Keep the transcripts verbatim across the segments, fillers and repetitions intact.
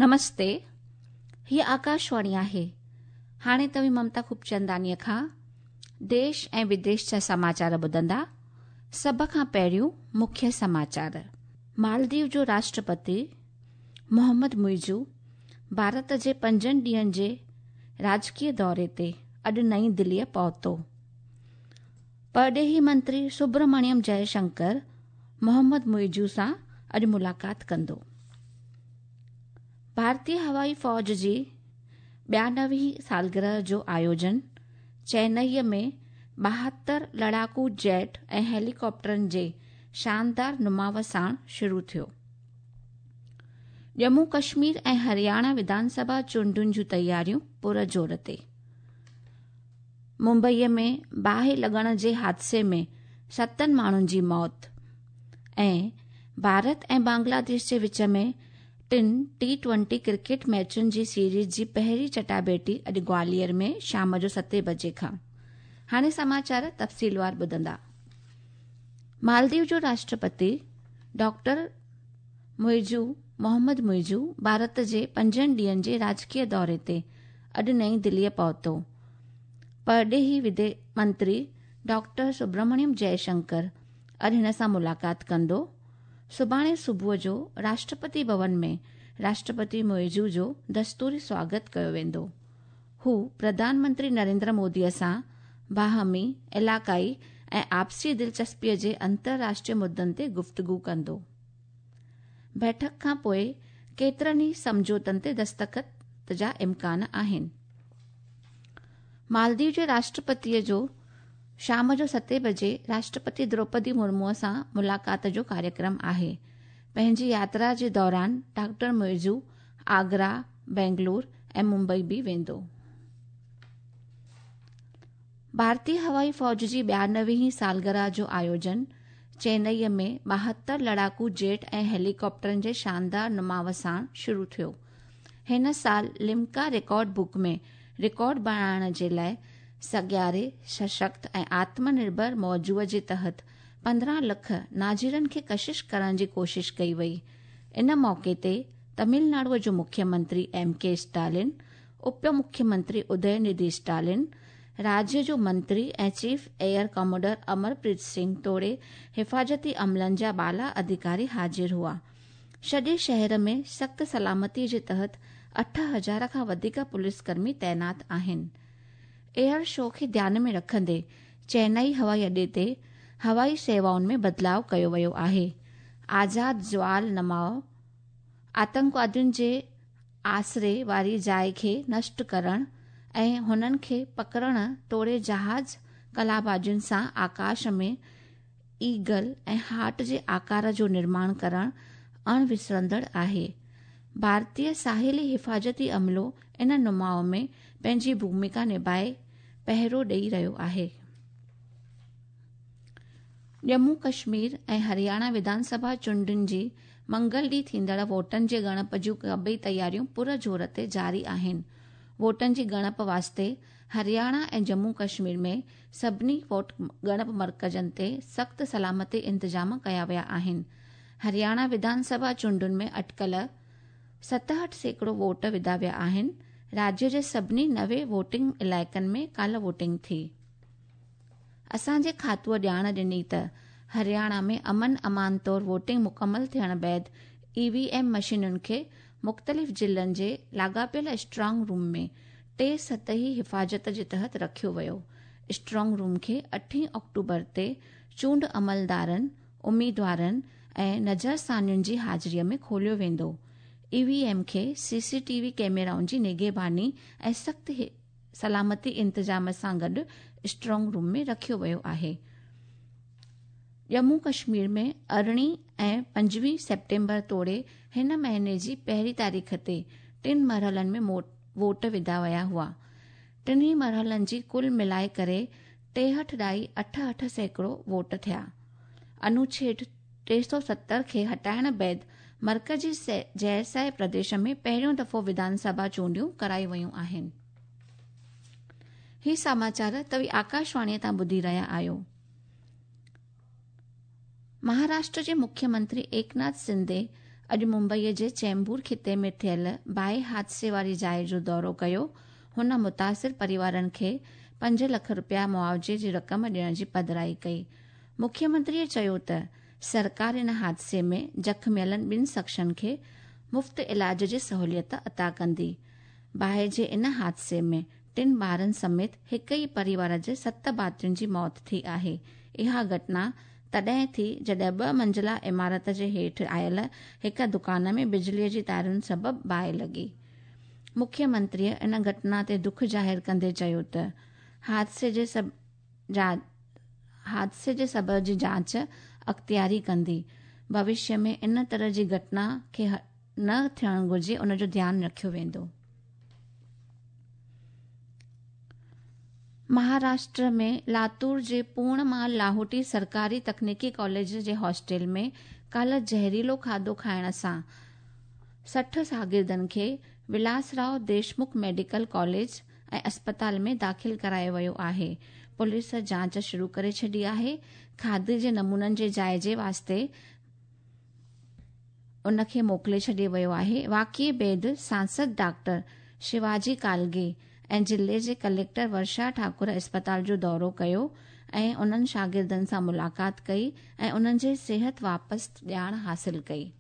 نمستي، هيء آڪاشواڻي آهي. هاڻي توهين ممتا خوبچنداڻيء کان ديش ۽ وديش جا سماچار ٻڌندا. سڀ کان پهريون مکيه سماچار. مالديو جو راشٽرپتي محمد معزو ڀارت جي پنجن ڏينهن جي راڄڪي دوري تي اڄ نئين دليء پهتو. پرڏيهي منتري سبرمڻيم جئشنڪر محمد معزو سان اڄ ملاقات ڪندو. ڀارتي هوائي فوج جي ٻيانوي سالگرهه جو آيوجن چينئي ۾ ٻاهتر لڙاڪو جيٽ ۽ هيليڪاپٽرن جي شاندار نماءُ ساڻ شروع ٿيو. ڄمون ڪشمير ۽ هرياڻا وڌان سڀا چونڊن جون تياريون پر زور تي. ممبئيء ۾ باهه لڳڻ جي حادثي ۾ ستن ماڻهن جي موت ۽ ڀارت ۽ بنگلاديش جي وچ ۾ ٽن ٽي ٽوئنٽي ڪرڪيٽ ميچن جي سيريز جي پهرين چٽاڀيٽي اڄ گواليار ۾ شام جو ستين بجي کان. هاڻي سماچار تفصيلوار ٻڌندا. مالديو جو راشٽرپتي ڊاڪٽر معزو محمد معزو ڀارت جي پنجن ڏينهن جي راڄڪي دوري تي اڄ نئين دليء پهتو. پرڏيهي منتري ڊاڪٽر سبرمڻيم جئشنڪر اڄ هن سان ملاقات ڪندو. سڀاڻي صبح جو راشٽرپتي ڀون ۾ راشٽرپتي معزو جو دستوري سواگت ڪيو ويندو. هو پرڌان منتري نريندر موديء سان باهمي، علائقائي ۽ آپسي دلچسپيء جي انترراشٽريه مدن تي گفتگو ڪندو. بيٺڪ کان پوءِ ڪيترن ئي سمجهوتن تي دستخط جا امڪان آهن. مالديو جي راشٽرپتيء جو شام جو ستين بجي راشٽرپتي دروپدي مرموءَ سان ملاقات جو ڪاريڪرم آهي. پنهنجي ياترا جي دوران ڊاڪٽر معزو آگرا، بينگلور ۽ ممبئي به ويندو. ڀارتي هوائي فوج جي ٻيانوي سالگرهه جو آيوجن چينئي ۾ ٻاهتر لڙاڪو جيٽ ۽ هيليڪاپٽرن جي شاندار نماءُ ساڻ شروع ٿيو. هن سال لمڪا رڪارڊ بڪ ۾ رڪارڊ بڻائڻ جي لاءِ سگياري، سشڪت ۽ آتم نرڀر موضوع جي تحت پندرهن لک ناظرن کي ڪشش ڪرڻ جي ڪوشش ڪئي وئي. ان موقعي تي تامل ناڊوءَ جو مکيه منتري ايم ڪي اسٽالن، اپ مکيه منتري ادي نڌي اسٽالن، راجيه جو منتري ۽ chief air commodore Amarpreet Singh توڙي حفاظتي عملن جا بالا اڌڪاري حاضر هئا. سڄي شهر ۾ سخت سلامتي جي تحت اٺ هزار کان وڌيڪ پوليس ڪرمي تعينات آهن. ايئر شو کي ڌيان ۾ رکندي چينئي هوائي اڏي تي هوائي سيوائن ۾ بدلاءُ ڪيو ويو آهي. آزاد جوال نماءُ آتنڪوادين جي آسري واري جاءِ کي نشٽ ڪرڻ ۽ هنن کي پڪڙڻ توڙي جهاز قلابازين سان آڪاش ۾ ايگل ۽ هارٽ جي آڪار جو نرماڻ ڪرڻ اڻ وسرندڙ آهي. ڀارتيه ساحلي حفاظتي عملو ان نماءُ ۾ پنهنجي ڀومڪا نڀائي پهرو ڏيئي رهيو آهي. ڄمون ڪشمير ۽ هرياڻا وڌان سڀا چونڊن جي منگل ڏينهن ٿيندڙ ووٽن جي ڳڻپ جون سڀئي تياريون پر زور تي جاري آهن. ووٽن جي ڳڻپ واسطي هرياڻا ۽ ڄمون ڪشمير ۾ سڀني ووٽ ڳڻپ مرڪزن تي سخت سلامتي انتظام ڪيا ويا آهن. هرياڻا وڌان سڀا چونڊن ۾ اٽڪل ستهٺ سيڪڙو ووٽ وڌا ويا آهن. راجيه جي سڀني نوي ووٽنگ علائقن ۾ ڪالهه ووٽنگ ٿي. اسان جي کاتوءَ ڄاڻ ڏني ته هرياڻا ۾ امن امان طور ووٽنگ مڪمل ٿيڻ بعد اي وي ايم مشينن کي مختلف ضلعن جي لاڳاپيل اسٽرانگ روم ۾ ٽي سطحي حفاظت جي تحت رکيو ويو. اسٽرانگ روم کي اٺين آڪٽوبر تي چونڊ عملدارن، اميدوارن ۽ نظرثانين جي حاضريءَ ۾ کوليو ويندو. اي وي ايم کي سي سي ٽي وي ڪئميرائن جي نگهباني ۽ سخت سلامتي انتظام سان گڏ اسٽرانگ روم ۾ رکيو ويو آهي. ڄمون ڪشمير ۾ ارڙهين ۽ پنجويهه سيپٽمبر توڙي هن مهيني جي پهرين تاريخ تي ٽن مرحلن ۾ ووٽ وڌا ويا هئا. ٽنهي مرحلن جي ڪل ملائي ڪري ٽيهٺ ڏائي اٺ اٺ سيڪڙو ووٽ ٿيا. انوڇيد ٽي سؤ ستر کي هٽائڻ بعد مرڪزي جيرسائي پرديش ۾ پهريون دفعو وڌان سڀا چونڊيون ڪرايون ويون آهن. هي سماچار توهين آڪاشواڻيءَ تان ٻڌي رهيا آهيو. مهاراشٽر جي مکيه منتري ايڪناٿ شندي اڄ मुंबईअ जे चेंबूर ख़िते में थियल बाहि हादसे वारी जाइ जो दौरो कयो। हुन मुतासिर परिवारनि खे पंज लख रुपया मुआवज़े जी रक़म ॾियण जी पधराई कई। मुख्यमंत्रीअ चयो त सरकार इन हादसे में ज़ख़मियलनि ॿिनि शख़्सनि खे मुफ़्त इलाज जी सहूलियत अता कंदी। बाहि जे इन हादसे में टिनि ॿारनि समेत हिकु ई परिवार जे सत भातियुनि जी मौत थी आहे। इहा घटना तॾहिं थी जॾहिं ॿ मंज़िला इमारत जे हेठि आयल हिकु दुकान में बिजलीअ जी तारुनि सबबु बाहि लॻी। मुख्यमंत्रीअ इन घटना ते दुख ज़ाहिर कंदे चयो त हादसे जे सब जा हादसे जे सबब जी जांच अख़्तियारी कंदी। भविष्य में इन तरह जी घटना खे न थियणु घुरिजे, उन जो ध्यानु रखियो वेंदो। महाराष्ट्र में लातूर जे पूर्णमाल लाहोटी सरकारी तकनीकी कॉलेज जे हॉस्टल में काल्ह ज़हरीलो खाधो खाइण सां सठि शागिर्दनि खे विलासराव देशमुख मेडिकल कॉलेज ऐं अस्पताल में दाख़िल करायो वियो आहे। पुलिस जांच शुरू करे छॾी आहे। खाधे जे नमूननि जे जाइज़े वास्ते उनखे मोकिले छॾियो वियो आहे। वाक़िए बाद सांसद डॉक्टर शिवाजी कालगे ऐं ज़िले जे कलेक्टर वर्षा ठाकुर अस्पताल जो दौरो कयो ऐं उन्हनि शागिर्दनि सां मुलाक़ात कई ऐं उन्हनि जे सिहत वापसि ॼाण हासिल कई।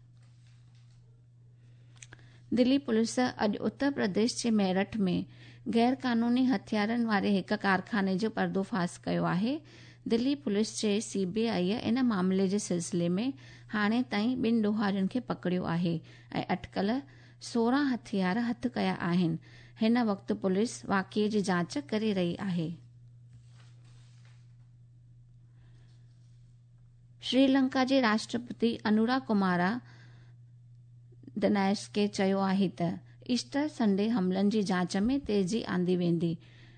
दिल्ली पुलिस अॼु उत्तर प्रदेश जे मेरठ में गैर कानूनी हथियारनि वारे हिकु कारखाने जो पर्दोफाश कयो आहे। दिल्ली पुलिस जे सी बी I इन मामले जे सिलसिले में हाणे ताईं ॿिनि ॾोहारियुनि खे पकड़ियो आहे ऐं अटकल सोरहं हथियार हथु कया आहिनि। हिन वक़्तु पुलिस वाक़िए जी जांच करे रही आहे। श्रीलंका जे राष्ट्रपति अनुरा कुमारा दनायस्के चयो आहे त ईस्टर संडे हमलनि जी जांच में तेज़ी आंदी वेंदी।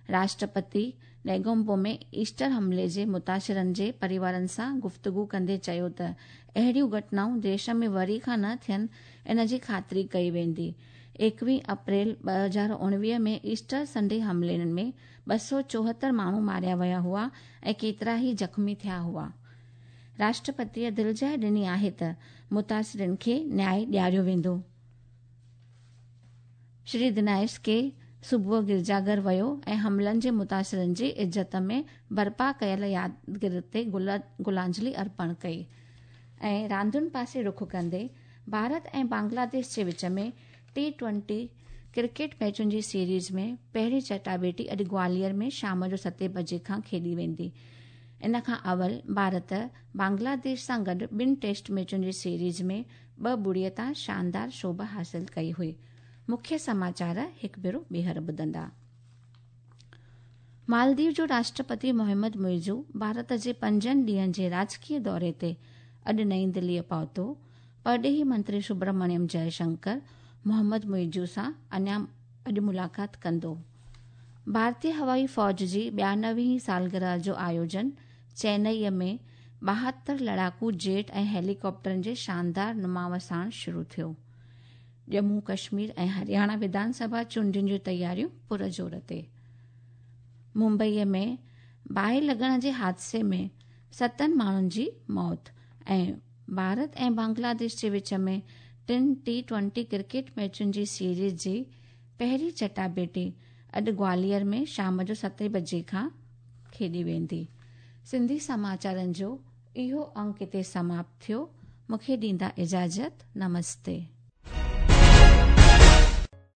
राष्ट्रपति नेगोम्बो में ईस्टर हमले जे मुतासिरनि जे परिवारनि सां गुफ़्तगू कंदे चयो त अहिड़ियूं घटनाऊं देश में वरी खां न थियनि, इन जी ख़ातिरी कई वेंदी। एकवीह अप्रैल ॿ हज़ार उणिवीह में ईस्टर संडे हमले में ॿ सौ चोहतरि माण्हू मारिया विया हुआ ऐं केतिरा ई ज़ख़्मी थिया हुआ। राष्ट्रपतीअ दिलजाइ ॾिनी आहे त मुतासिरनि खे न्याय ॾियारियो वेंदो। श्री दिनायस के सुबुह गिरजाघर वियो ऐं हमलनि जे मुतासिरनि जी इज़त में बर्पा कयल यादगिर ते गुलांजलि अर्पण कई। ऐं रांदियुनि पासे रुख कंदे भारत ऐं बांग्लादेश जे विच में टी ट्वेंटी क्रिकेट मैचुनि जी सीरीज़ में पहिरीं चटाबेटी अॼु ग्वालियर में शाम जो सते बजे खां खेॾी वेंदी। इन खां अवल भारत बांग्लादेश सां गॾु ॿिनि टेस्ट मैचुनि जी सीरीज़ में ॿ ॿुड़ीअ तां शानदार शोभ हासिल कई हुई। मुख्य समाचार हिकु भेरो ॿीहर ॿुधंदा। मालदीव जो राष्ट्रपति मोहम्मद मुइज़ू भारत जे पंजनि ॾींहंनि जे राजकीय दौरे ते अॼु नई दिल्लीअ पहुतो। परॾेही मंत्री सुब्रमण्यम जयशंकर मोहम्मद मुइज़ू सां अञा अॼु मुलाक़ात कंदो। भारतीय हवाई फ़ौज जी ॿियानवे सालगिरह जो आयोजन चेन्नईअ में ॿाहतरि लड़ाकू जेट ऐं हेलीकॉप्टरनि जे शानदार नुमाव साण शुरू थियो। जम्मू कश्मीर ऐं हरियाणा विधानसभा चूंडियुनि जूं तयारियूं पुरज़ोर ते। मुंबईअ में बाहि लॻण जे हादसे में सतनि माण्हुनि जी मौत ऐं भारत ऐं बांग्लादेश जे विच में टिनि टी ट्वेंटी क्रिकेट मैचुनि जी सीरीज़ जी पहिरीं चटाबेटी अॼु ग्वालियर में शाम जो सते बजे खां खेॾी वेंदी। सिंधी समाचारनि जो इहो अंक हिते समाप्त थियो। मूंखे ॾींदा इजाज़त। नमस्ते।